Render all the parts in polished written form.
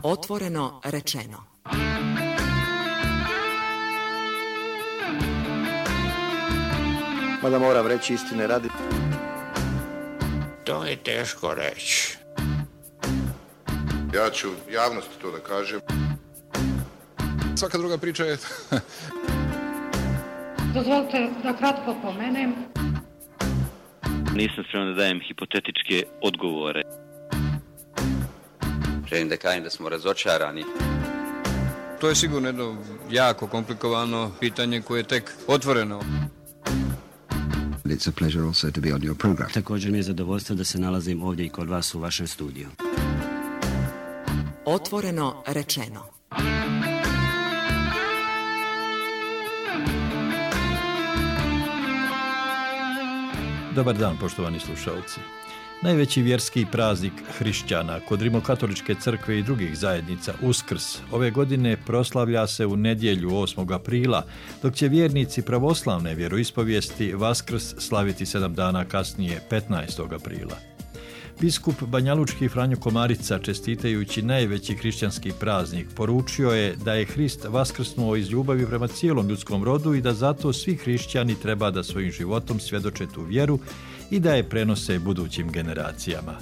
Otvoreno rečeno. Mada moram reći istine radi. To je teško reći. Ja ću javnosti to da kažem. Svaka druga priča je... Dozvolite da kratko pomenem. Nisam spreman da dajem hipotetičke odgovore. Želim da kažem da smo razočarani. To je sigurno jedno jako komplikovano pitanje koje je tek otvoreno. It's a pleasure also to be on your program. Također mi je zadovoljstvo da se nalazim ovdje i kod vas u vašem studiju. Otvoreno rečeno. Dobar dan, poštovani slušalci. Najveći vjerski praznik hrišćana kod Rimokatoličke crkve i drugih zajednica, Uskrs, ove godine proslavlja se u nedjelju 8. aprila, dok će vjernici pravoslavne vjeroispovijesti Vaskrs slaviti 7 dana kasnije, 15. aprila. Biskup banjalučki Franjo Komarica, čestitajući najveći hrišćanski praznik, poručio je da je Hrist vaskrsnuo iz ljubavi prema cijelom ljudskom rodu i da zato svi hrišćani treba da svojim životom svjedoče tu vjeru i da je prenose budućim generacijama.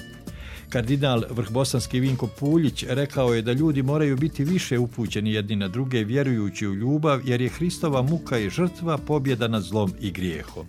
Kardinal vrhbosanski Vinko Puljić rekao je da ljudi moraju biti više upućeni jedni na druge vjerujući u ljubav, jer je Hristova muka i žrtva pobjeda nad zlom i grijehom.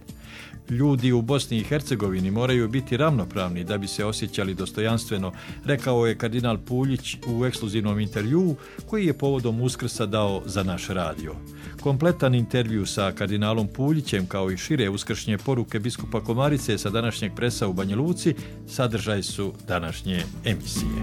Ljudi u Bosni i Hercegovini moraju biti ravnopravni da bi se osjećali dostojanstveno, rekao je kardinal Puljić u ekskluzivnom intervjuu koji je povodom Uskrsa dao za naš radio. Kompletan intervju sa kardinalom Puljićem kao i šire uskršnje poruke biskupa Komarice sa današnjeg presa u Banja Luci sadržaj su današnje emisije.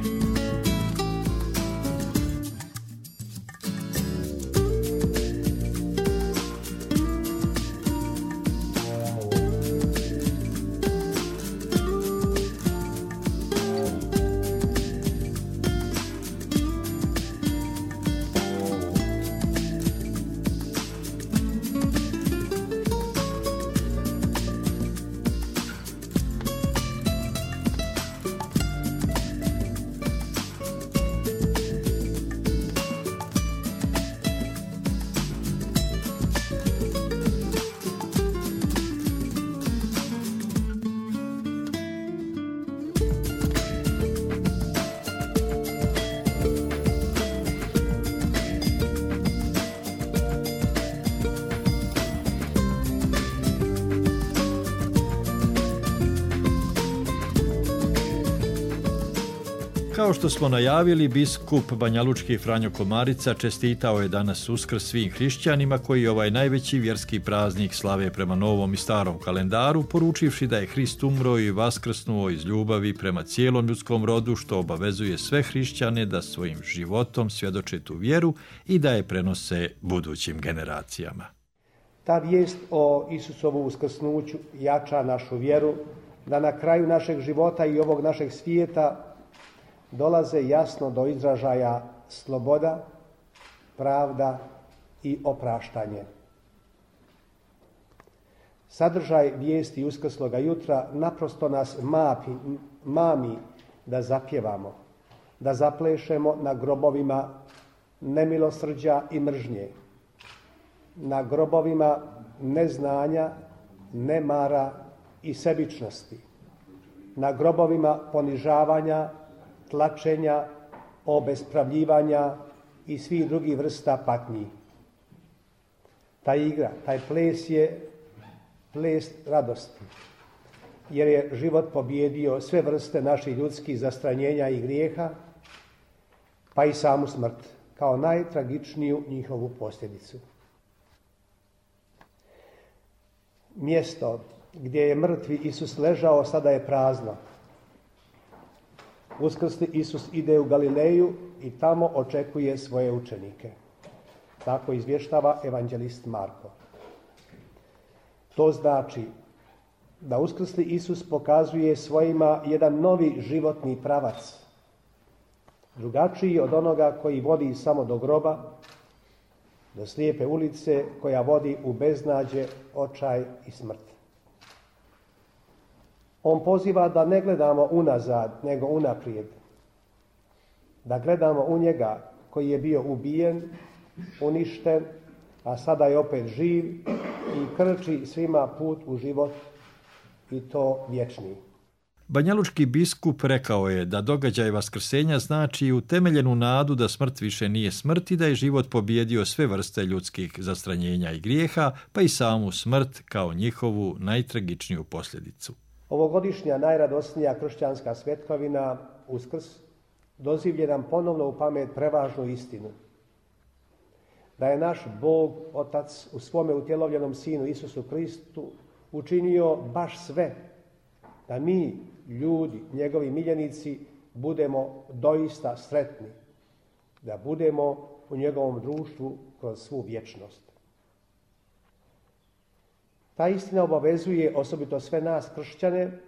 Kao što smo najavili, biskup banjalučki Franjo Komarica čestitao je danas Uskrs svim hrišćanima koji ovaj najveći vjerski praznik slave prema novom i starom kalendaru, poručivši da je Hrist umro i vaskrsnuo iz ljubavi prema cijelom ljudskom rodu, što obavezuje sve hrišćane da svojim životom svjedoče tu vjeru i da je prenose budućim generacijama. Ta vijest o Isusovu uskrsnuću jača našu vjeru da na kraju našeg života i ovog našeg svijeta dolaze jasno do izražaja sloboda, pravda i opraštanje. Sadržaj vijesti uskrsloga jutra naprosto nas mami da zapjevamo, da zaplešemo na grobovima nemilosrđa i mržnje, na grobovima neznanja, nemara i sebičnosti, na grobovima ponižavanja, tlačenja, obespravljivanja i svih drugih vrsta patnji. Ta igra, taj ples je ples radosti, jer je život pobjedio sve vrste naših ljudskih zastranjenja i grijeha, pa i samu smrt, kao najtragičniju njihovu posljedicu. Mjesto gdje je mrtvi Isus ležao sada je prazno. Uskrsli Isus ide u Galileju i tamo očekuje svoje učenike. Tako izvještava evanđelist Marko. To znači da uskrsli Isus pokazuje svojima jedan novi životni pravac, drugačiji od onoga koji vodi samo do groba, do slijepe ulice koja vodi u beznađe, očaj i smrt. On poziva da ne gledamo unazad, nego unaprijed. da gledamo u njega koji je bio ubijen, uništen, a sada je opet živ i krči svima put u život i to vječni. Banjalučki biskup rekao je da događaj vaskrsenja znači utemeljenu nadu da smrt više nije smrt i da je život pobijedio sve vrste ljudskih zastranjenja i grijeha, pa i samu smrt kao njihovu najtragičniju posljedicu. Ovogodišnja najradosnija kršćanska svetkovina, Uskrs, dozivlje nam ponovno u pamet prevažnu istinu. Da je naš Bog, Otac, u svome utjelovljenom Sinu Isusu Kristu učinio baš sve da mi, ljudi, njegovi miljenici, budemo doista sretni, da budemo u njegovom društvu kroz svu vječnost. Ta istina obavezuje osobito sve nas kršćane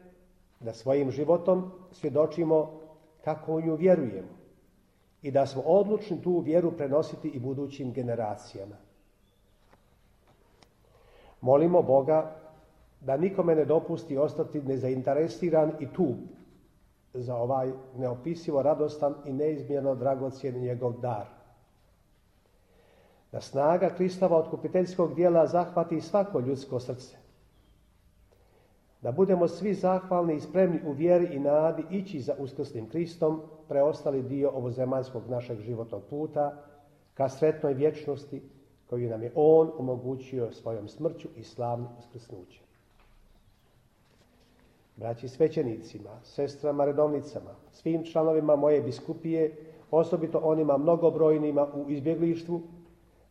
da svojim životom svjedočimo kako u nju vjerujemo i da smo odlučni tu vjeru prenositi i budućim generacijama. Molimo Boga da nikome ne dopusti ostati nezainteresiran i tup za ovaj neopisivo radostan i neizmjerno dragocjen njegov dar. Da snaga Kristova otkupiteljskog djela zahvati svako ljudsko srce. Da budemo svi zahvalni i spremni u vjeri i nadi ići za uskrslim Kristom preostali dio ovozemaljskog našeg životnog puta ka sretnoj vječnosti koju nam je On omogućio svojom smrću i slavnim uskrsnućem. Braći svećenicima, sestrama redovnicama, svim članovima moje biskupije, osobito onima mnogobrojnima u izbjeglištvu,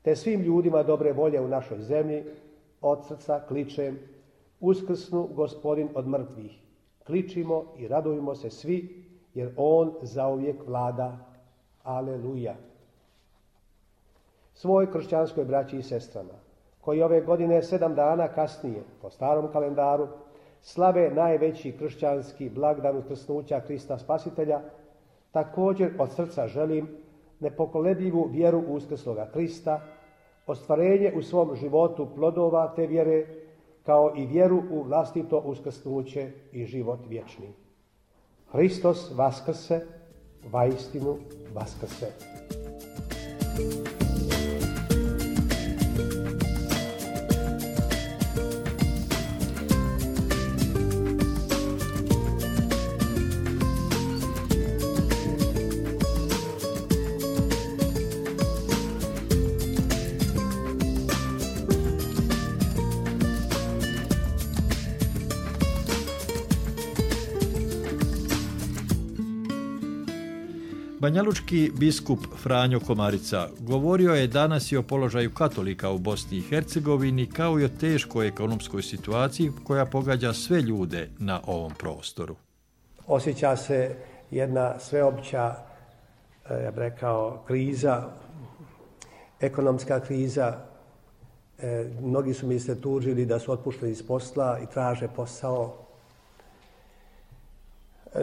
te svim ljudima dobre volje u našoj zemlji, od srca kličem: Uskrsnu Gospodin od mrtvih. Kličimo i radujmo se svi, jer On zauvijek vlada. Aleluja. Svoj kršćanskoj braći i sestrama, koji ove godine 7 dana kasnije, po starom kalendaru, slave najveći kršćanski blagdan uskrsnuća Krista Spasitelja, također od srca želim nepokolebljivu vjeru u uskrsloga Krista, ostvarenje u svom životu plodova te vjere, kao i vjeru u vlastito uskrsnuće i život vječni. Hristos vaskrse, vaistinu vaskrse. Banjalučki biskup Franjo Komarica govorio je danas i o položaju katolika u Bosni i Hercegovini kao i o teškoj ekonomskoj situaciji koja pogađa sve ljude na ovom prostoru. Osjeća se jedna sveopća, ja bih rekao, kriza, ekonomska kriza. Mnogi su mi se tužili da su otpušteni iz posla i traže posao.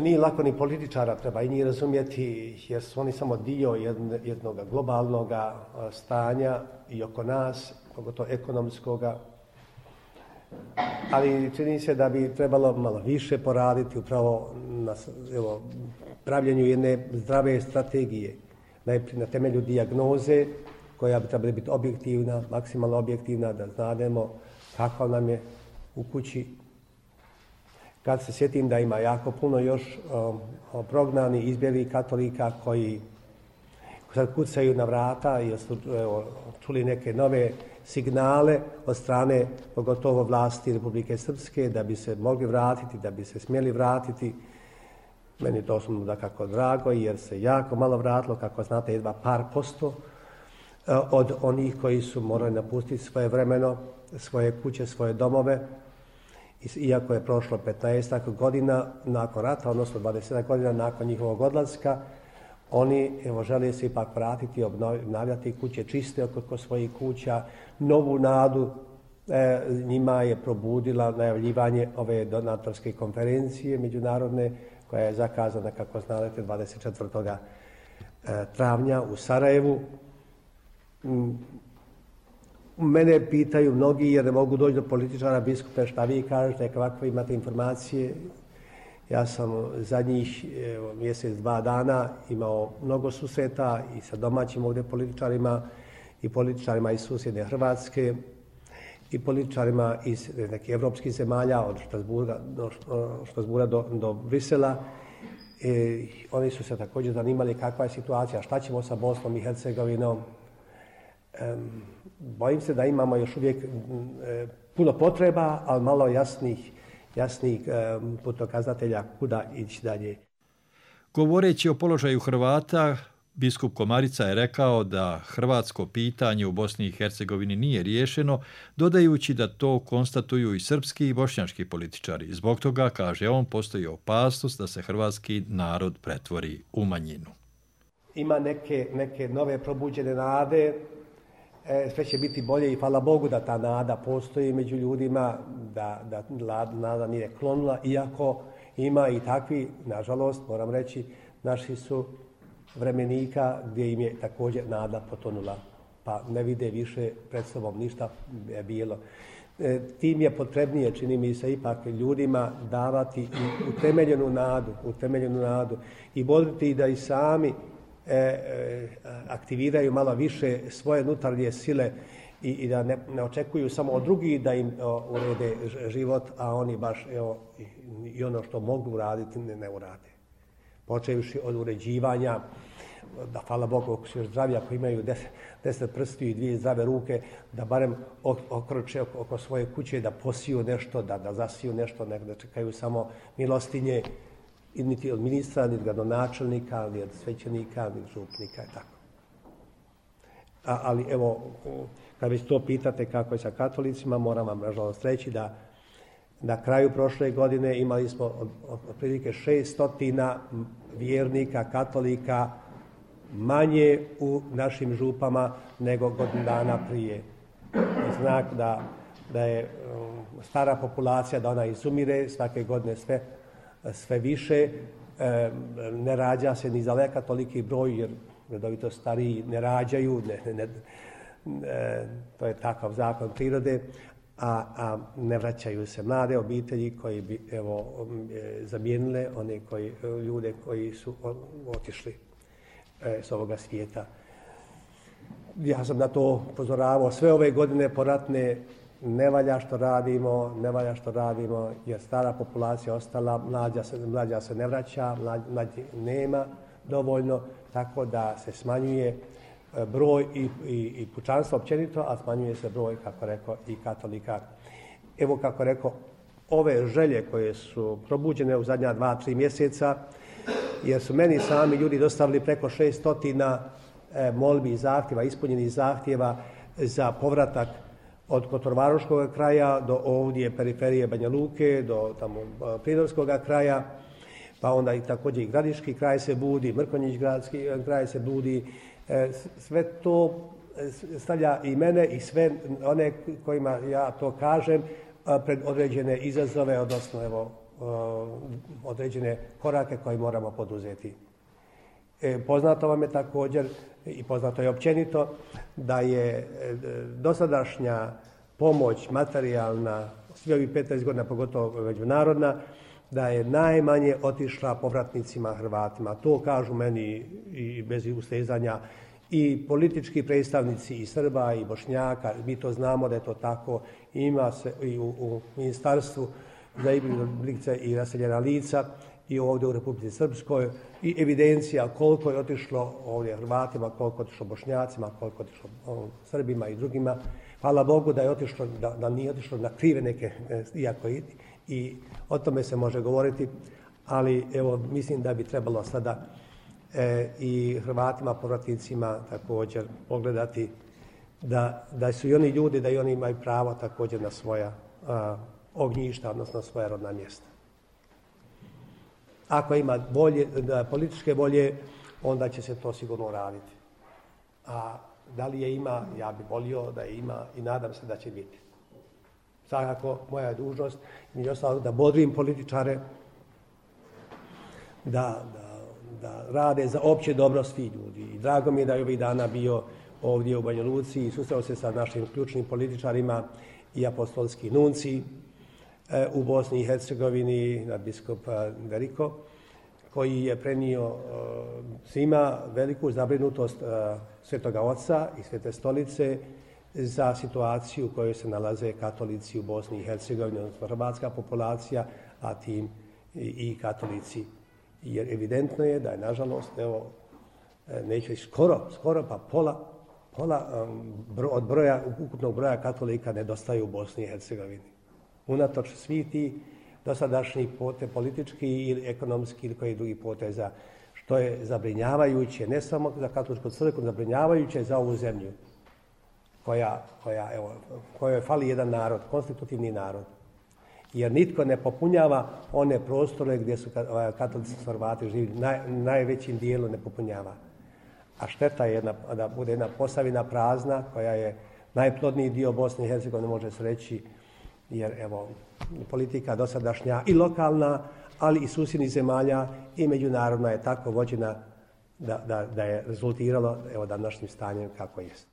Nije lako ni političara, treba i njih razumjeti, jer su oni samo dio jednog globalnog stanja i oko nas, pogotovo ekonomskoga. Ali čini se da bi trebalo malo više poraditi upravo na pravljenju jedne zdrave strategije. Najprije na temelju dijagnoze koja bi trebala biti objektivna, maksimalno objektivna, da znademo kako nam je u kući. Kad se sjetim da ima jako puno još prognani, izbjeglih katolika koji sad kucaju na vrata jer su čuli neke nove signale od strane pogotovo vlasti Republike Srpske da bi se mogli vratiti, da bi se smjeli vratiti. Meni to osobno dakako drago jer se jako malo vratilo, kako znate, jedva par posto od onih koji su morali napustiti svoje vremeno, svoje kuće, svoje domove. Iako je prošlo 15 godina nakon rata, odnosno 20 godina nakon njihovog odlaska, oni žele se ipak vratiti i obnavljati kuće čiste oko svojih kuća. Novu nadu njima je probudila najavljivanje ove donatorske konferencije međunarodne koja je zakazana, kako znate, 24. travnja u Sarajevu. Mene pitaju mnogi, jer ne mogu doći do političara, biskupe, šta vi kažete, kakve imate informacije. Ja sam zadnjih mjesec, 2 dana imao mnogo susreta i sa domaćim ovdje političarima i političarima iz susjedne Hrvatske i političarima iz nekih evropskih zemalja, od Štrasburga do Brisela. Oni su se također zanimali kakva je situacija, šta ćemo sa Bosnom i Hercegovinom. Bojim se da imamo još uvijek puno potreba, ali malo jasnih putokazatelja kuda ići dalje. Govoreći o položaju Hrvata, biskup Komarica je rekao da hrvatsko pitanje u Bosni i Hercegovini nije riješeno, dodajući da to konstatuju i srpski i bošnjački političari. Zbog toga, kaže on, postoji opasnost da se hrvatski narod pretvori u manjinu. Ima neke nove probuđene nade, sve će biti bolje i hvala Bogu da ta nada postoji među ljudima, da nada nije klonula, iako ima i takvi, nažalost, moram reći, naši su vremenika gdje im je također nada potonula, pa ne vide više pred sobom ništa bijelo. Tim je potrebnije, čini mi se, ipak ljudima davati i utemeljenu nadu i voditi da i sami aktiviraju malo više svoje unutarnje sile i da ne očekuju samo od drugih da im urede život, a oni baš i ono što mogu uraditi ne urade. Počevši od uređivanja, da hvala Bogu ako su još zdravi, ako imaju 10 prstiju i 2 zdrave ruke, da barem okroče oko svoje kuće, da posiju nešto, da zasiju nešto, ne da čekaju samo milostinje, niti od ministra, niti gradonačelnika, niti od svećenika, niti župnika i tako. Ali evo, kad već to pitate kako je sa katolicima, moram vam nažalost reći da na kraju prošle godine imali smo otprilike 600 vjernika, katolika manje u našim župama nego godinu dana prije. Znak da je stara populacija, da ona izumire, svake godine sve više. Ne rađa se ni zaleka toliki broj, jer redovito stariji ne rađaju, to je takav zakon prirode, a ne vraćaju se mlade obitelji koji bi zamijenile one ljude koji su otišli s ovoga svijeta. Ja sam na to upozoravao sve ove godine poratne. Ne valja što radimo, jer stara populacija ostala, mlađa se ne vraća, mlađi nema dovoljno, tako da se smanjuje broj i pučanstva općenito, a smanjuje se broj, kako rekao, i katolika. Evo, kako rekao, ove želje koje su probuđene u zadnja 2-3 mjeseca, jer su meni sami ljudi dostavili preko 600 molbi i zahtjeva, ispunjenih zahtjeva za povratak od Kotorvaroškog kraja do ovdje periferije Banja Luke, do tamo Primorskog kraja, pa onda i također i Gradiški kraj se budi, Mrkonjić kraj se budi. Sve to stavlja i mene i sve one kojima ja to kažem pred određene izazove, odnosno određene korake koje moramo poduzeti. Poznato vam je također i poznato je općenito da je dosadašnja pomoć materijalna, svi ovih 15 godina, pogotovo međunarodna, da je najmanje otišla povratnicima Hrvatima. To kažu meni i bez ustezanja i politički predstavnici i Srba i Bošnjaka. Mi to znamo da je to tako. Ima se i u Ministarstvu za izbjeglice i raseljena lica i ovdje u Republici Srpskoj i evidencija koliko je otišlo ovdje Hrvatima, koliko je otišlo Bošnjacima, koliko je otišlo Srbima i drugima. Hvala Bogu da je otišlo, da nije otišlo na krive neke, iako i o tome se može govoriti, ali evo mislim da bi trebalo sada i Hrvatima, povratnicima također pogledati da su i oni ljudi, da i oni imaju pravo također na svoja ognjišta, odnosno svoja rodna mjesta. Ako ima političke volje, onda će se to sigurno raditi. A da li je ima, ja bih volio da je ima i nadam se da će biti. Svakako, moja je dužnost i ostalo da bodrim političare, da rade za opće dobro svih ljudi. I drago mi je da je ovih dana bio ovdje u Banja Luci i susreo se sa našim ključnim političarima i apostolski nunci, u Bosni i Hercegovini, nadbiskup Deriko, koji je prenio svima veliku zabrinutost Svetoga Oca i Svete Stolice za situaciju u kojoj se nalaze katolici u Bosni i Hercegovini, odnosno hrvatska populacija, a tim i katolici. Jer evidentno je da je, nažalost, evo, neću reći skoro pa pola od ukupnog broja katolika nedostaje u Bosni i Hercegovini. Unatoč svih tih dosadašnjih politički ili ekonomski ili koji drugi poteza, što je zabrinjavajuće ne samo za katoličku crkvu, zabrinjavajuće za ovu zemlju kojoj fali jedan narod, konstitutivni narod. Jer nitko ne popunjava one prostore gdje su katolici Hrvati živi, najvećim dijelu ne popunjava. A šteta je da bude jedna Posavina prazna, koja je najplodniji dio Bosne i Hercegovine, može se reći, jer evo, politika dosadašnja i lokalna, ali i susjednih zemalja i međunarodna je tako vođena da je rezultiralo evo današnjim stanjem kako jest.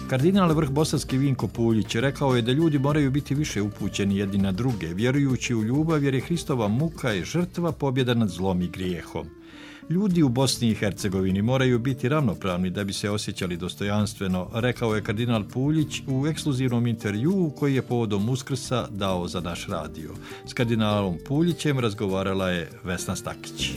Kardinal vrh bosanski Vinko Puljić rekao je da ljudi moraju biti više upućeni jedni na druge, vjerujući u ljubav jer je Hristova muka i žrtva pobjeda nad zlom i grijehom. Ljudi u Bosni i Hercegovini moraju biti ravnopravni da bi se osjećali dostojanstveno, rekao je kardinal Puljić u ekskluzivnom intervjuu koji je povodom Uskrsa dao za naš radio. S kardinalom Puljićem razgovarala je Vesna Stakić.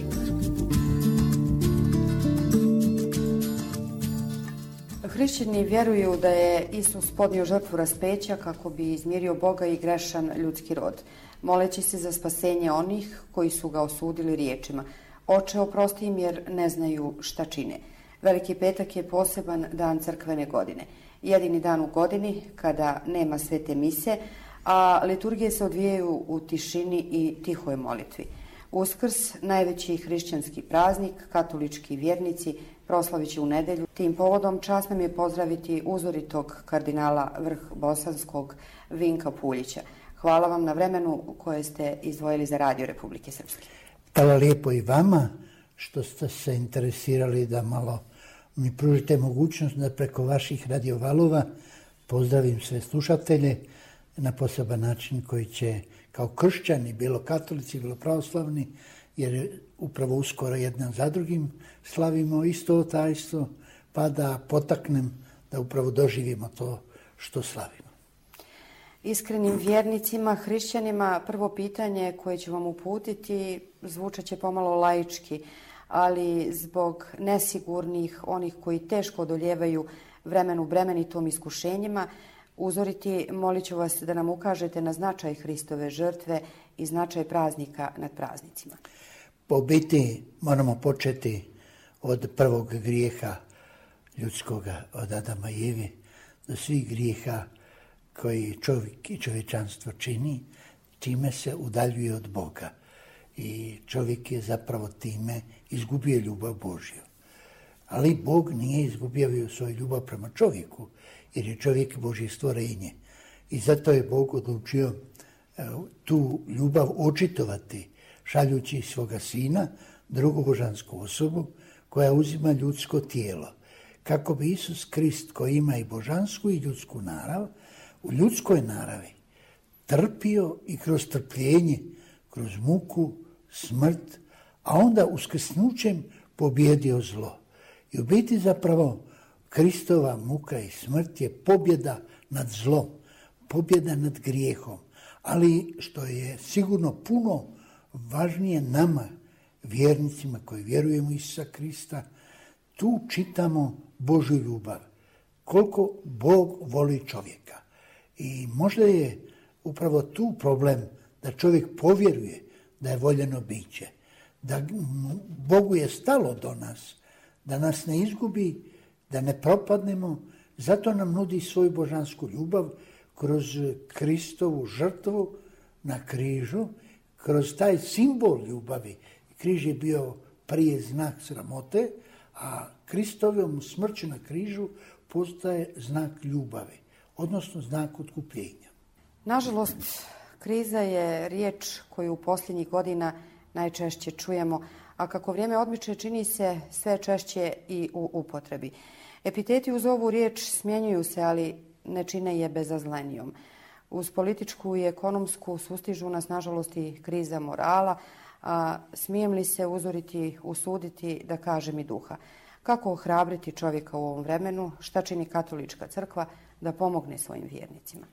Hrišćani vjeruju da je Isus podnio žrtvu raspeća kako bi izmirio Boga i grešan ljudski rod, moleći se za spasenje onih koji su ga osudili riječima: Oče, oprosti im jer ne znaju šta čine. Veliki petak je poseban dan crkvene godine. Jedini dan u godini kada nema svete mise, a liturgije se odvijaju u tišini i tihoj molitvi. Uskrs, najveći hrišćanski praznik, katolički vjernici proslavit će u nedjelju. Tim povodom čast nam je pozdraviti uzoritog kardinala vrh bosanskog Vinka Puljića. Hvala vam na vremenu koje ste izdvojili za Radio Republike Srpske. Hvala lijepo i vama što ste se interesirali da malo mi pružite mogućnost da preko vaših radiovalova pozdravim sve slušatelje na poseban način koji će kao kršćani, bilo katolici, bilo pravoslavni, jer upravo uskoro jedan za drugim slavimo isto tajstvo, pa da potaknem da upravo doživimo to što slavimo. Iskrenim vjernicima, hrišćanima, prvo pitanje koje ću vam uputiti zvučat će pomalo laički, ali zbog nesigurnih, onih koji teško odoljevaju vremenu bremenitom iskušenjima, uzoriti, molit ću vas da nam ukažete na značaj Hristove žrtve i značaj praznika nad praznicima. Po biti moramo početi od prvog grijeha ljudskoga, od Adama i Eve, do svih grijeha koji čovjek i čovječanstvo čini, time se udaljuje od Boga. I čovjek je zapravo time izgubio ljubav Božju. Ali Bog nije izgubio svoju ljubav prema čovjeku, jer je čovjek Božje stvorenje. I zato je Bog odlučio tu ljubav očitovati, šaljući svoga sina, drugu božansku osobu, koja uzima ljudsko tijelo. Kako bi Isus Krist, koji ima i božansku i ljudsku narav, u ljudskoj naravi trpio i kroz trpljenje, kroz muku, smrt, a onda uskrsnućem pobjedio zlo. I u biti zapravo Kristova muka i smrt je pobjeda nad zlom, pobjeda nad grijehom, ali što je sigurno puno važnije nama, vjernicima koji vjerujemo u Isusa Krista, tu čitamo Božju ljubav, koliko Bog voli čovjeka. I možda je upravo tu problem da čovjek povjeruje da je voljeno biće, da Bogu je stalo do nas, da nas ne izgubi, da ne propadnemo, zato nam nudi svoju božansku ljubav kroz Kristovu žrtvu na križu, kroz taj simbol ljubavi. Križ je bio prije znak sramote, a Kristovom smrću na križu postaje znak ljubavi, odnosno znak otkupljenja. Nažalost, kriza je riječ koju u posljednjih godina najčešće čujemo, a kako vrijeme odmiče čini se sve češće i u upotrebi. Epiteti uz ovu riječ smjenjuju se, ali ne čine je bezazlenijom. Uz političku i ekonomsku sustižu nas nažalost i kriza morala, a smijem li se uzoriti, usuditi, da kažem i duha. Kako ohrabriti čovjeka u ovom vremenu, šta čini katolička crkva da pomogne svojim vjernicima?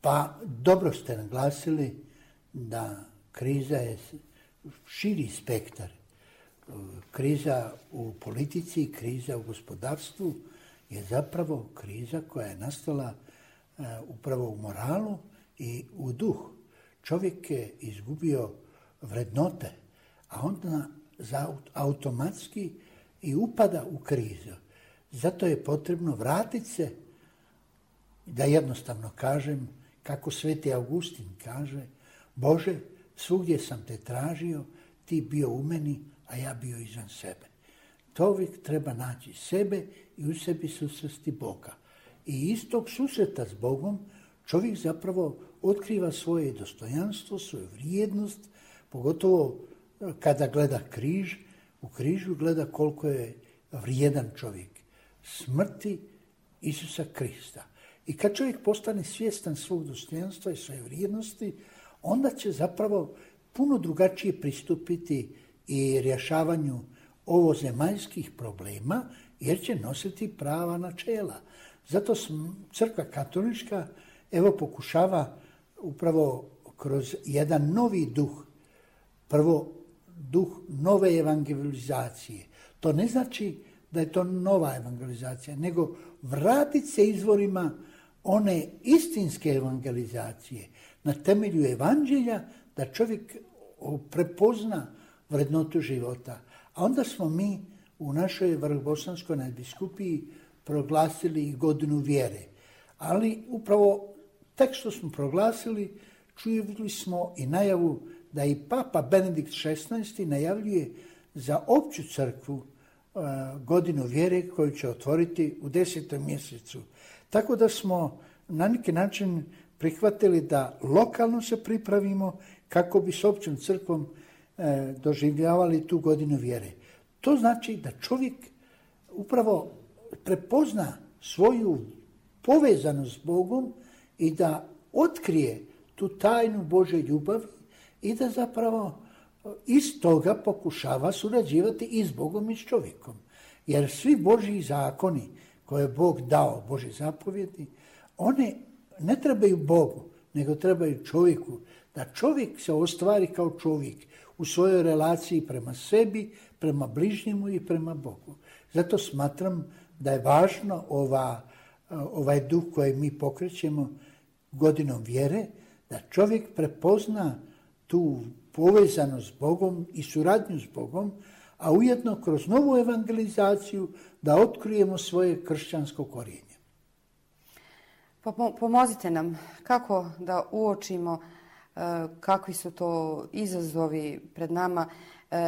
Pa dobro ste naglasili da kriza je širi spektar. Kriza u politici, kriza u gospodarstvu je zapravo kriza koja je nastala upravo u moralu i u duhu. Čovjek je izgubio vrednote, a onda automatski i upada u krizu. Zato je potrebno vratiti se, da jednostavno kažem, kako Sveti Augustin kaže, Bože, svugdje sam te tražio, ti bio u meni, a ja bio izvan sebe. Čovjek treba naći sebe i u sebi susresti Boga. I iz tog susreta s Bogom čovjek zapravo otkriva svoje dostojanstvo, svoju vrijednost, pogotovo kada gleda križ, u križu gleda koliko je vrijedan čovjek. Smrti Isusa Krista. I kad čovjek postane svjestan svog dostojanstva i svoje vrijednosti, onda će zapravo puno drugačije pristupiti i rješavanju ovozemaljskih problema, jer će nositi prava načela. Zato Crkva katolička pokušava upravo kroz jedan novi duh, prvo duh nove evangelizacije. To ne znači da je to nova evangelizacija, nego vratiti se izvorima one istinske evangelizacije na temelju evanđelja, da čovjek prepozna vrednotu života. A onda smo mi u našoj Vrhbosanskoj nadbiskupiji proglasili i godinu vjere. Ali upravo tek što smo proglasili, čuli smo i najavu da i Papa Benedikt XVI najavljuje za opću crkvu godinu vjere koju će otvoriti u 10. mjesecu. Tako da smo na neki način prihvatili da lokalno se pripravimo kako bi s općom crkvom doživljavali tu godinu vjere. To znači da čovjek upravo prepozna svoju povezanost s Bogom i da otkrije tu tajnu Božje ljubavi i da zapravo iz toga pokušava surađivati i s Bogom i s čovjekom. Jer svi Božji zakoni koje je Bog dao, Božje zapovjedi, one ne trebaju Bogu, nego trebaju čovjeku. Da čovjek se ostvari kao čovjek u svojoj relaciji prema sebi, prema bližnjemu i prema Bogu. Zato smatram da je važna ova ovaj duh koji mi pokrećemo godinom vjere, da čovjek prepozna tu povezanost s Bogom i suradnju s Bogom, a ujedno kroz novu evangelizaciju da otkrijemo svoje kršćansko korijenje. Pomozite nam kako da uočimo kakvi su to izazovi pred nama,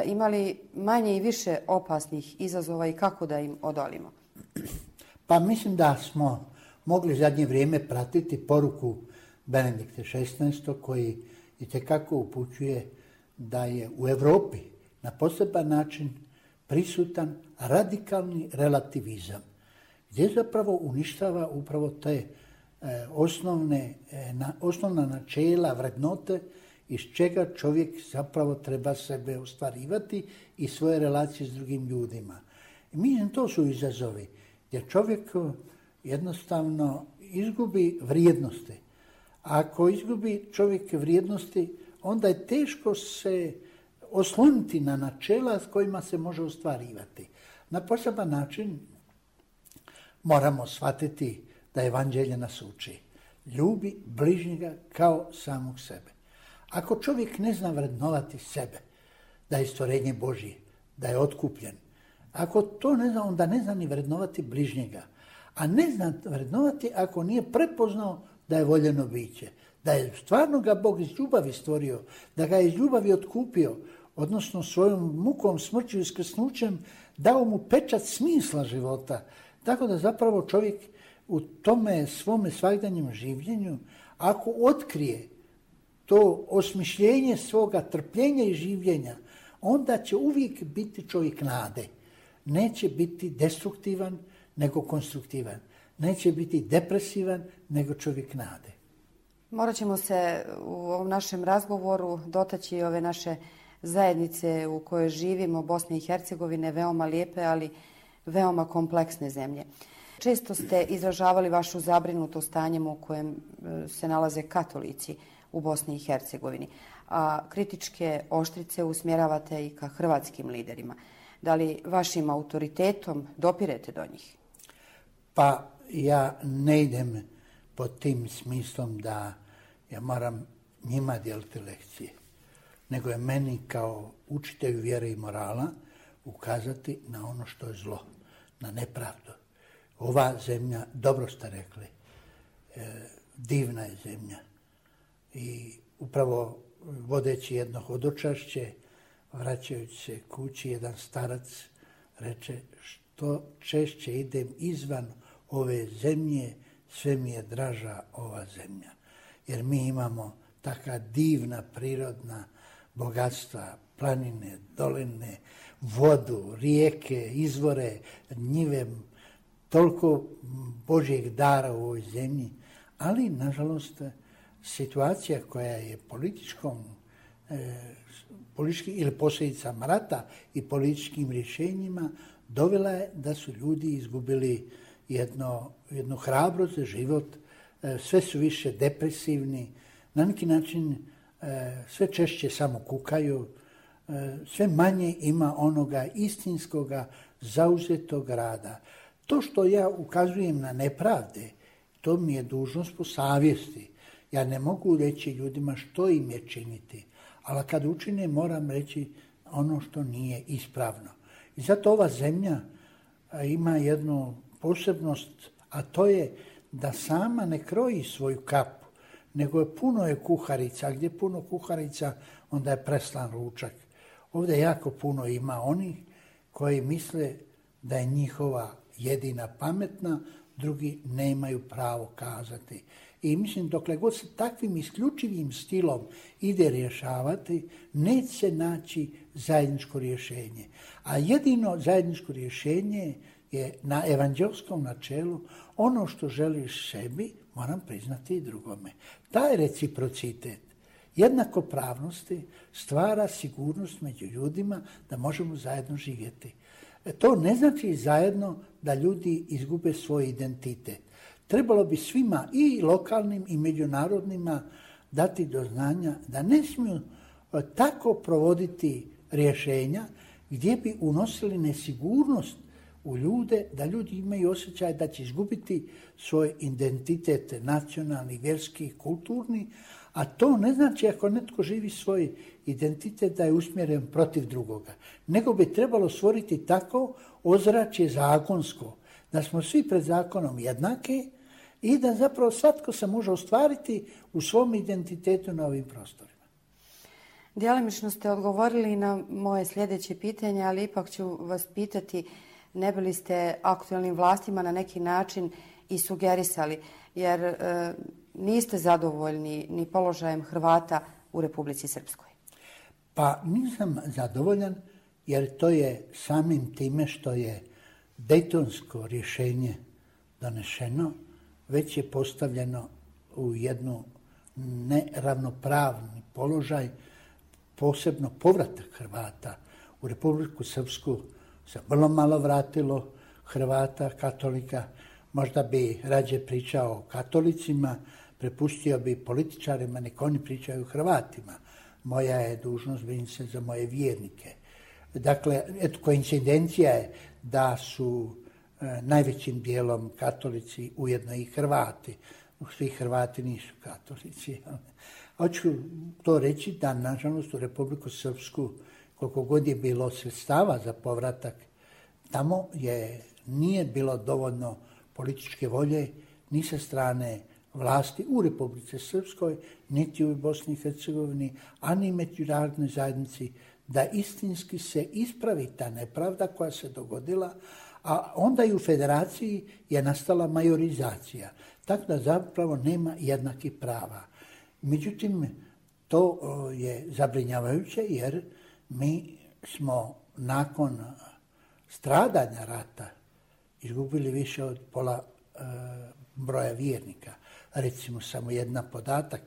ima li manje i više opasnih izazova i kako da im odolimo? Pa mislim da smo mogli zadnje vrijeme pratiti poruku Benedikta XVI. Koji itekako upućuje da je u Europi na poseban način prisutan radikalni relativizam, gdje zapravo uništava upravo te osnovna načela, vrednote iz čega čovjek zapravo treba sebe ostvarivati i svoje relacije s drugim ljudima. I mislim, to su izazovi gdje čovjek jednostavno izgubi vrijednosti. Ako izgubi čovjek vrijednosti, onda je teško se osloniti na načela s kojima se može ostvarivati. Na poseban način moramo shvatiti da Evanđelje nas uči. Ljubi bližnjega kao samog sebe. Ako čovjek ne zna vrednovati sebe, da je stvorenje Božje, da je otkupljen, ako to ne zna, onda ne zna ni vrednovati bližnjega. A ne zna vrednovati ako nije prepoznao da je voljeno biće, da je stvarno ga Bog iz ljubavi stvorio, da ga je iz ljubavi otkupio, odnosno svojom mukom, smrću i skrsnućem dao mu pečat smisla života. Tako da zapravo čovjek u tome svome svakdanjem življenju, ako otkrije to osmišljenje svoga trpljenja i življenja, onda će uvijek biti čovjek nade. Neće biti destruktivan, nego konstruktivan. Neće biti depresivan, nego čovjek nade. Morat ćemo se u ovom našem razgovoru dotaći ove naše zajednice u kojoj živimo, Bosne i Hercegovine, veoma lijepe, ali veoma kompleksne zemlje. Često ste izražavali vašu zabrinutost stanjem u kojem se nalaze katolici u Bosni i Hercegovini, a kritičke oštrice usmjeravate i ka hrvatskim liderima. Da li vašim autoritetom dopirete do njih? Pa ja ne idem pod tim smislom da ja moram njima dijeliti lekcije, nego je meni kao učitelju vjere i morala ukazati na ono što je zlo, na nepravdu. Ova zemlja, dobro ste rekli, divna je zemlja. I upravo vodeći jedno hodočašće, vraćajući se kući, jedan starac reče: što češće idem izvan ove zemlje, sve mi je draža ova zemlja. Jer mi imamo taka divna prirodna bogatstva, planine, doline, vodu, rijeke, izvore, njive, toliko Božjeg dara u ovoj zemlji, ali nažalost situacija koja je politički ili posljedicama rata i političkim rješenjima dovela je da su ljudi izgubili jednu hrabrost za život, sve su više depresivni, na neki način sve češće samo kukaju, sve manje ima onoga istinskoga zauzetog rada. To što ja ukazujem na nepravde, to mi je dužnost po savjesti. Ja ne mogu reći ljudima što im je činiti, ali kad učine moram reći ono što nije ispravno. I zato ova zemlja ima jednu posebnost, a to je da sama ne kroji svoju kapu, nego je puno kuharica, a gdje je puno kuharica, onda je preslan ručak. Ovdje jako puno ima onih koji misle da je njihova jedina pametna, drugi nemaju pravo kazati. I mislim, dokle god se takvim isključivim stilom ide rješavati, neće se naći zajedničko rješenje. A jedino zajedničko rješenje je na evanđelskom načelu: ono što želiš sebi, moram priznati i drugome. Taj reciprocitet jednakopravnosti stvara sigurnost među ljudima da možemo zajedno živjeti. To ne znači zajedno da ljudi izgube svoj identitet. Trebalo bi svima, i lokalnim i međunarodnima, dati do znanja da ne smiju tako provoditi rješenja gdje bi unosili nesigurnost u ljude, da ljudi imaju osjećaj da će izgubiti svoj identitet nacionalni, vjerski, kulturni, a to ne znači ako netko živi svoj identitet da je usmjeren protiv drugoga, nego bi trebalo stvoriti tako ozračje zakonsko, da smo svi pred zakonom jednaki i da zapravo svatko se može ostvariti u svom identitetu na ovim prostorima. Djelomično ste odgovorili na moje sljedeće pitanje, ali ipak ću vas pitati ne bi li ste aktualnim vlastima na neki način i sugerisali, jer niste zadovoljni ni položajem Hrvata u Republici Srpskoj. Pa nisam zadovoljan jer to je samim time što je Dejtonsko rješenje donešeno, već je postavljeno u jednu neravnopravni položaj, posebno povratak Hrvata u Republiku Srpsku se vrlo malo vratilo Hrvata, katolika. Možda bi rađe pričao o katolicima, prepustio bi političarima, nek oni pričaju o Hrvatima. Moja je dužnost brinuti se za moje vjernike. Dakle, eto, koincidencija je da su najvećim dijelom katolici ujedno i Hrvati. Svi Hrvati nisu katolici. Hoću to reći da, nažalost, u Republiku Srpsku, koliko god je bilo sredstava za povratak, tamo nije bilo dovoljno političke volje ni sa strane vlasti u Republici Srpskoj, niti u Bosni i Hercegovini, a ni međunarodnoj zajednici, da istinski se ispravi ta nepravda koja se dogodila, a onda i u federaciji je nastala majorizacija, tako da zapravo nema jednakih prava. Međutim, to je zabrinjavajuće jer mi smo nakon stradanja rata izgubili više od pola broja vjernika. Recimo samo jedan podatak,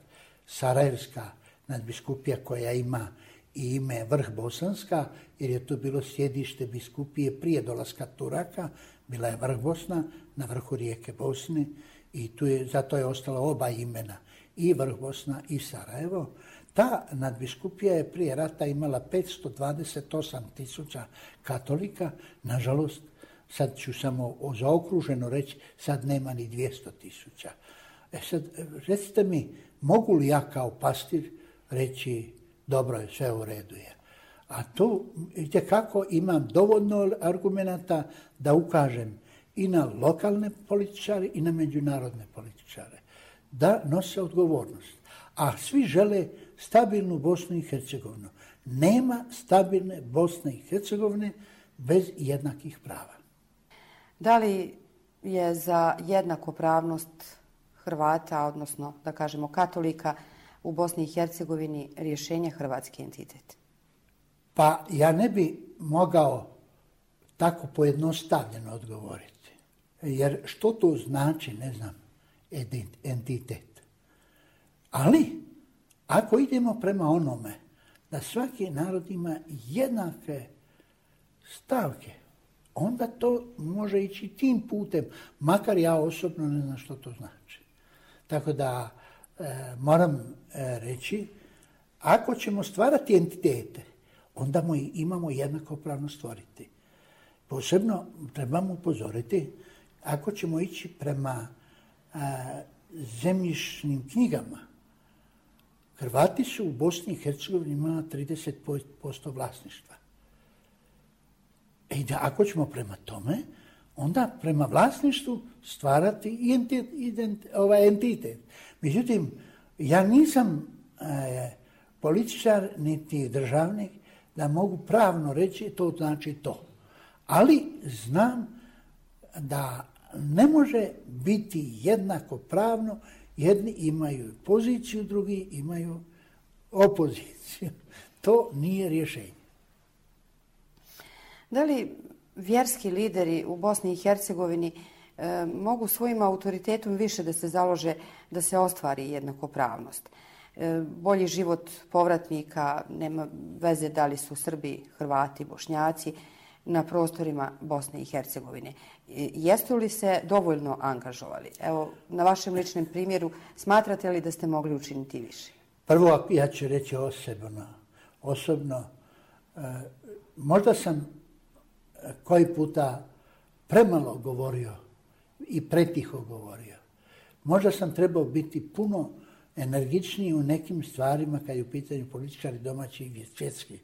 Sarajevska nadbiskupija koja ima i ime Vrh Bosanska, jer je to bilo sjedište biskupije prije dolaska Turaka, bila je Vrh Bosna na vrhu rijeke Bosne i zato je ostalo oba imena, i Vrh Bosna i Sarajevo. Ta nadbiskupija je prije rata imala 528.000 katolika, nažalost, sad ću samo zaokruženo reći, sad nema ni 200.000. Sad, recite mi, mogu li ja kao pastir reći dobro je, sve u redu je. A to, itekako imam dovoljno argumenata da ukažem i na lokalne političare i na međunarodne političare, da nose odgovornost. A svi žele stabilnu Bosnu i Hercegovinu. Nema stabilne Bosne i Hercegovine bez jednakih prava. Da li je za jednakopravnost Hrvata, odnosno da kažemo katolika, u Bosni i Hercegovini rješenje hrvatski entitet? Pa ja ne bi mogao tako pojednostavljeno odgovoriti. Jer što to znači, ne znam, entitet. Ali, ako idemo prema onome da svaki narod ima jednake stavke, onda to može ići tim putem, makar ja osobno ne znam što to znači. Tako da moram reći, ako ćemo stvarati entitete, onda imamo jednakopravno stvoriti. Posebno trebamo upozoriti, ako ćemo ići prema zemljišnim knjigama, Hrvati su u Bosni i Hercegovini imali 30% vlasništva. I da ako ćemo prema tome, onda prema vlasništvu stvarati i entitet. Međutim, ja nisam političar niti državnik da mogu pravno reći to znači to. Ali znam da ne može biti jednako pravno, jedni imaju poziciju, drugi imaju opoziciju. To nije rješenje. Da li vjerski lideri u Bosni i Hercegovini mogu svojim autoritetom više da se založe da se ostvari jednakopravnost? Bolji život povratnika, nema veze da li su Srbi, Hrvati, Bošnjaci, na prostorima Bosne i Hercegovine. Jeste li se dovoljno angažovali? Evo, na vašem ličnom primjeru, smatrate li da ste mogli učiniti više? Prvo, ja ću reći osobno, možda sam koji puta premalo govorio i pretiho govorio. Možda sam trebao biti puno energičniji u nekim stvarima kad je u pitanju političari domaći i svjetski.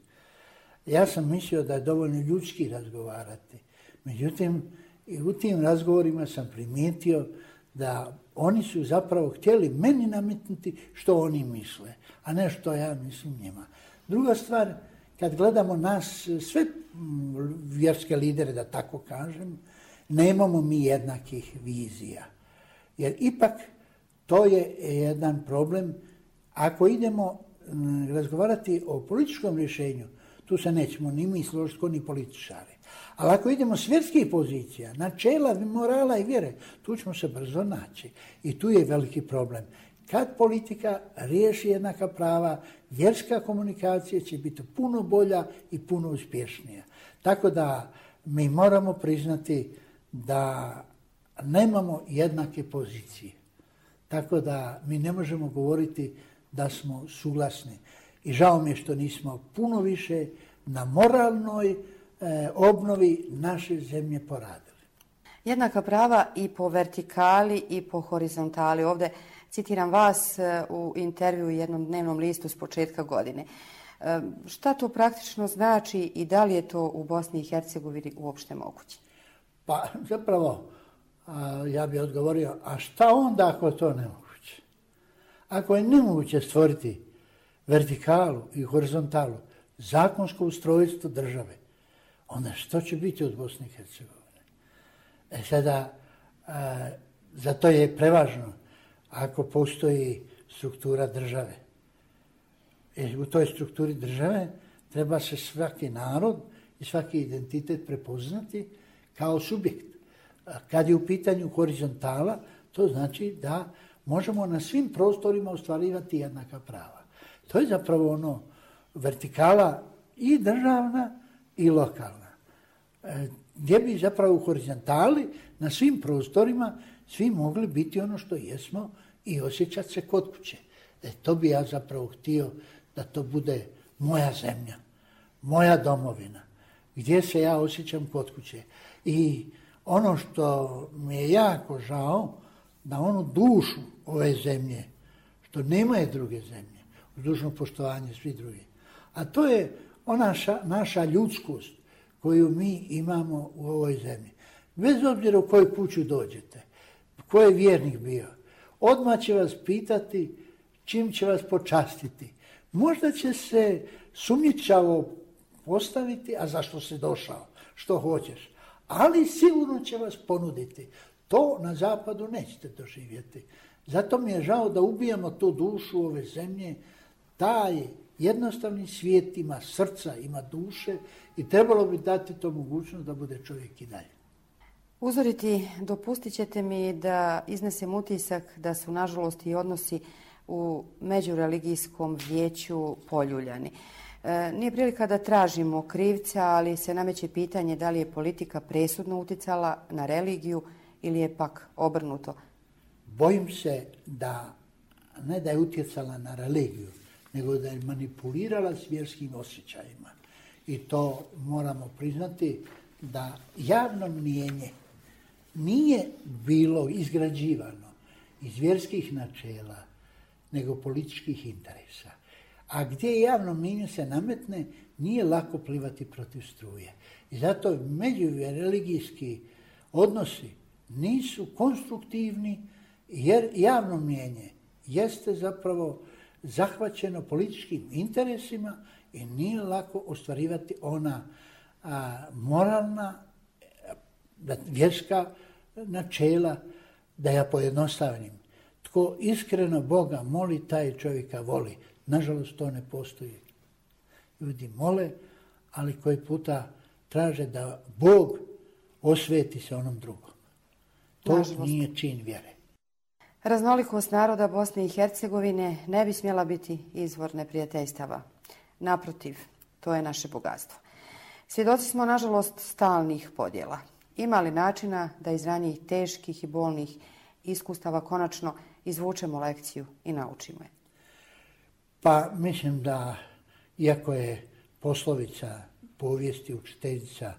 Ja sam mislio da je dovoljno ljudski razgovarati. Međutim, i u tim razgovorima sam primijetio da oni su zapravo htjeli meni nametnuti što oni misle, a ne što ja mislim njima. Druga stvar, kad gledamo nas, sve vjerske lidere, da tako kažem, nemamo mi jednakih vizija. Jer ipak to je jedan problem. Ako idemo razgovarati o političkom rješenju, tu se nećemo ni mi složiti ni političari. Ali ako idemo s vjerskih pozicija, načela, morala i vjere, tu ćemo se brzo naći. I tu je veliki problem. Kad politika riješi jednaka prava, vjerska komunikacija će biti puno bolja i puno uspješnija. Tako da mi moramo priznati da nemamo jednake pozicije. Tako da mi ne možemo govoriti da smo suglasni. I žao mi je što nismo puno više na moralnoj obnovi naše zemlje poradili. Jednaka prava i po vertikali i po horizontali. Ovdje citiram vas u intervju u jednom dnevnom listu s početka godine. Šta to praktično znači i da li je to u Bosni i Hercegovini uopšte moguće? Pa zapravo ja bih odgovorio, a šta onda ako je to nemoguće? Ako je nemoguće stvoriti vertikalu i horizontalu, zakonsko ustrojstvo države, onda što će biti od Bosne i Hercegovine? Sada, zato je prevažno ako postoji struktura države. U toj strukturi države treba se svaki narod i svaki identitet prepoznati kao subjekt. Kad je u pitanju horizontala, to znači da možemo na svim prostorima ostvarivati jednaka prava. To je zapravo ono vertikala i državna i lokalna. Gdje bi zapravo u horizontali na svim prostorima svi mogli biti ono što jesmo i osjećati se kod kuće. To bi ja zapravo htio da to bude moja zemlja, moja domovina, gdje se ja osjećam kod kuće. I ono što mi je jako žao, da onu dušu ove zemlje, što nema druge zemlje, uz dužno poštovanje svih drugih, a to je ona naša ljudskost koju mi imamo u ovoj zemlji. Bez obzira u koju kuću dođete, ko je vjernik bio, odmah će vas pitati čim će vas počastiti. Možda će se sumnjičavo postaviti, a zašto si došao, što hoćeš, ali sigurno će vas ponuditi. To na zapadu nećete doživjeti. Zato mi je žao da ubijamo tu dušu ove zemlje. Taj jednostavni svijet ima srca, ima duše i trebalo bi dati to mogućnost da bude čovjek i dalje. Uzoriti, dopustit ćete mi da iznesem utisak da su nažalost i odnosi u međureligijskom vijeću poljuljani. Nije prilika da tražimo krivca, ali se nameće pitanje da li je politika presudno uticala na religiju ili je pak obrnuto. Bojim se da ne da je utjecala na religiju, nego da je manipulirala s vjerskim osjećajima. I to moramo priznati da javno mnijenje nije bilo izgrađivano iz vjerskih načela, nego političkih interesa. A gdje javno mnijenje se nametne, nije lako plivati protiv struje. I zato međureligijski odnosi nisu konstruktivni, jer javno mnijenje jeste zapravo zahvaćeno političkim interesima i nije lako ostvarivati ona moralna, vjerska načela, da ja pojednostavnim. Tko iskreno Boga moli, taj čovjeka voli. Nažalost, to ne postoji. Ljudi mole, ali koji puta traže da Bog osveti se onom drugom. To nažalost nije čin vjere. Raznolikost naroda Bosne i Hercegovine ne bi smjela biti izvor neprijateljstava. Naprotiv, to je naše bogatstvo. Svjedoci smo, nažalost, stalnih podjela. Ima li načina da iz ranijih teških i bolnih iskustava konačno izvučemo lekciju i naučimo je? Pa mislim da, iako je poslovica povijesti učiteljica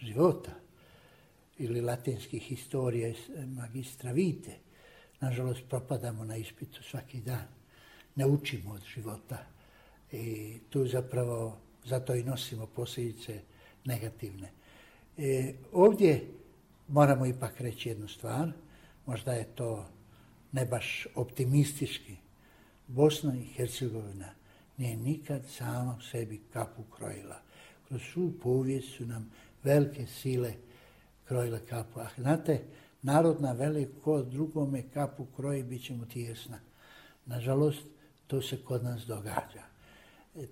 života, ili latinskih historija magistra vite. Nažalost, propadamo na ispitu svaki dan. Ne učimo od života. I tu zapravo, zato i nosimo posljedice negativne. Ovdje moramo ipak reći jednu stvar, možda je to ne baš optimistički. Bosna i Hercegovina nije nikad sama u sebi kapu krojila. Kroz svu povijest su nam velike sile krojile kapu. A znate, narodna veli ko drugome kapu kroji, bit će mu tijesna. Nažalost, to se kod nas događa.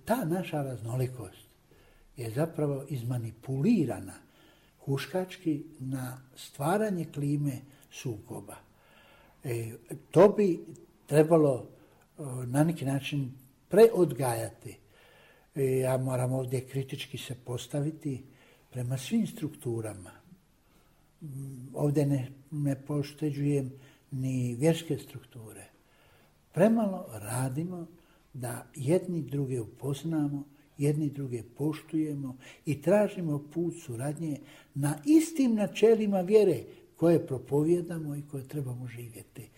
Ta naša raznolikost je zapravo izmanipulirana huškački na stvaranje klime sukoba. To bi trebalo na neki način preodgajati. Ja moram ovdje kritički se postaviti prema svim strukturama. Ovdje ne pošteđujem ni vjerske strukture. Premalo radimo da jedni druge upoznamo, jedni druge poštujemo i tražimo put suradnje na istim načelima vjere koje propovijedamo i koje trebamo živjeti.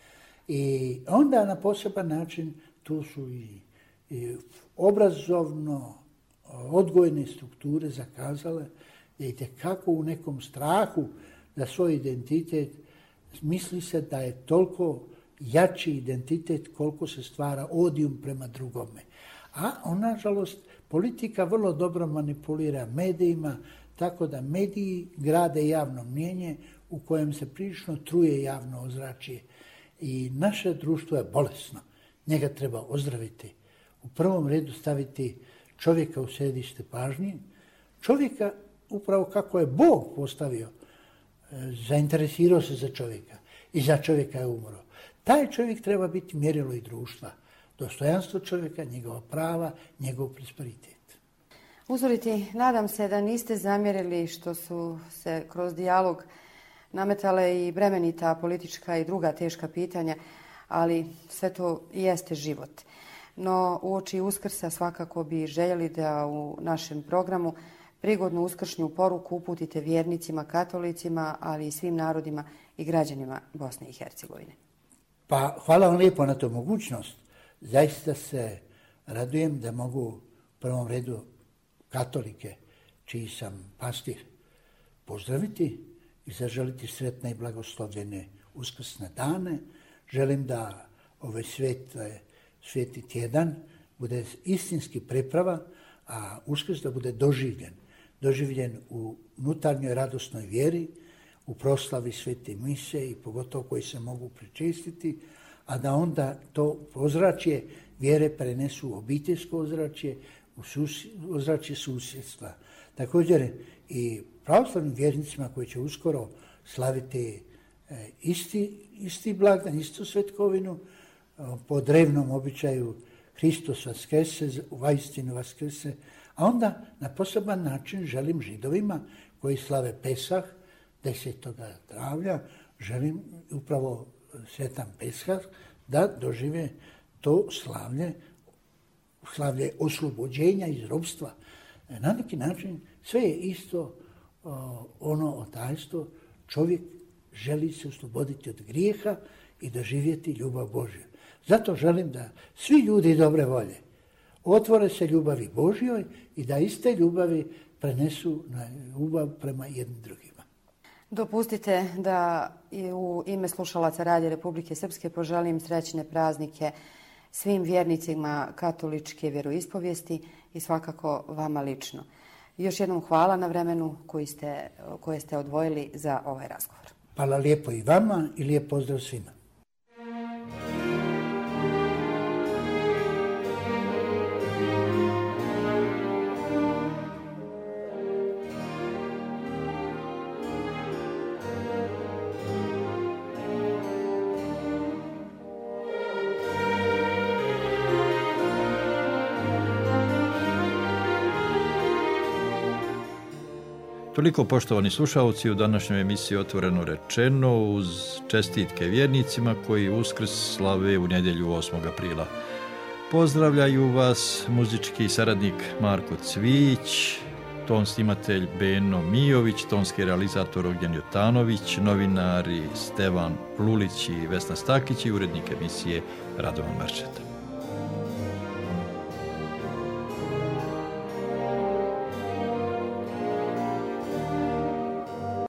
I onda na poseban način tu su i obrazovno odgojne strukture zakazale, vidite kako u nekom strahu za svoj identitet misli se da je toliko jači identitet koliko se stvara odijum prema drugome. A nažalost, politika vrlo dobro manipulira medijima, tako da mediji grade javno mnijenje u kojem se prilično truje javno ozračje. I naše društvo je bolesno. Njega treba ozdraviti. U prvom redu staviti čovjeka u središte pažnje. Čovjeka, upravo kako je Bog postavio, zainteresirao se za čovjeka i za čovjeka je umro. Taj čovjek treba biti mjerilo i društva. Dostojanstvo čovjeka, njegova prava, njegov prosperitet. Uzoriti, nadam se da niste zamjerili što su se kroz dijalog nametale i bremenita politička i druga teška pitanja, ali sve to jeste život. No, uoči Uskrsa svakako bi željeli da u našem programu prigodnu uskršnju poruku uputite vjernicima, katolicima, ali i svim narodima i građanima Bosne i Hercegovine. Pa hvala vam lijepo na tu mogućnost. Zaista se radujem da mogu u prvom redu katolike, čiji sam pastir, pozdraviti i zaželiti sretne i blagoslovljene uskrsne dane. Želim da ovaj sveti tjedan bude istinski priprava, a Uskrs da bude doživljen u unutarnjoj radosnoj vjeri, u proslavi svete mise i pogotovo koji se mogu pričestiti, a da onda to ozračje vjere prenesu u obiteljsko ozračje, u ozračje susjedstva. Također i pravoslavnim vjernicima koji će uskoro slaviti isti blagdan, istu svetkovinu, po drevnom običaju Hristos vaskrese, vaistinu vaskrese, a onda na poseban način želim Židovima koji slave Pesah 10. travnja, želim upravo svetan Pesah da dožive to slavlje oslobođenja iz ropstva. Na neki način sve je isto ono otajstvo, čovjek želi se osloboditi od grijeha i doživjeti ljubav Božju. Zato želim da svi ljudi dobre volje otvore se ljubavi Božjoj i da iste ljubavi prenesu na ljubav prema jednim drugima. Dopustite da u ime slušalaca Radija Republike Srpske poželim srećne praznike svim vjernicima katoličke vjeroispovijesti i svakako vama lično. Još jednom hvala na vremenu koje ste odvojili za ovaj razgovor. Hvala lijepo i vama i lijep pozdrav svima. Toliko, poštovani slušalci, u današnjoj emisiji Otvoreno rečeno, uz čestitke vjernicima koji Uskrs slave u nedjelju 8. aprila. Pozdravljaju vas muzički saradnik Marko Cvić, ton snimatelj Beno Mijović, tonski realizator Ognjen Jotanović, novinari Stevan Plulić i Vesna Stakić i urednik emisije Radovan Marčeta.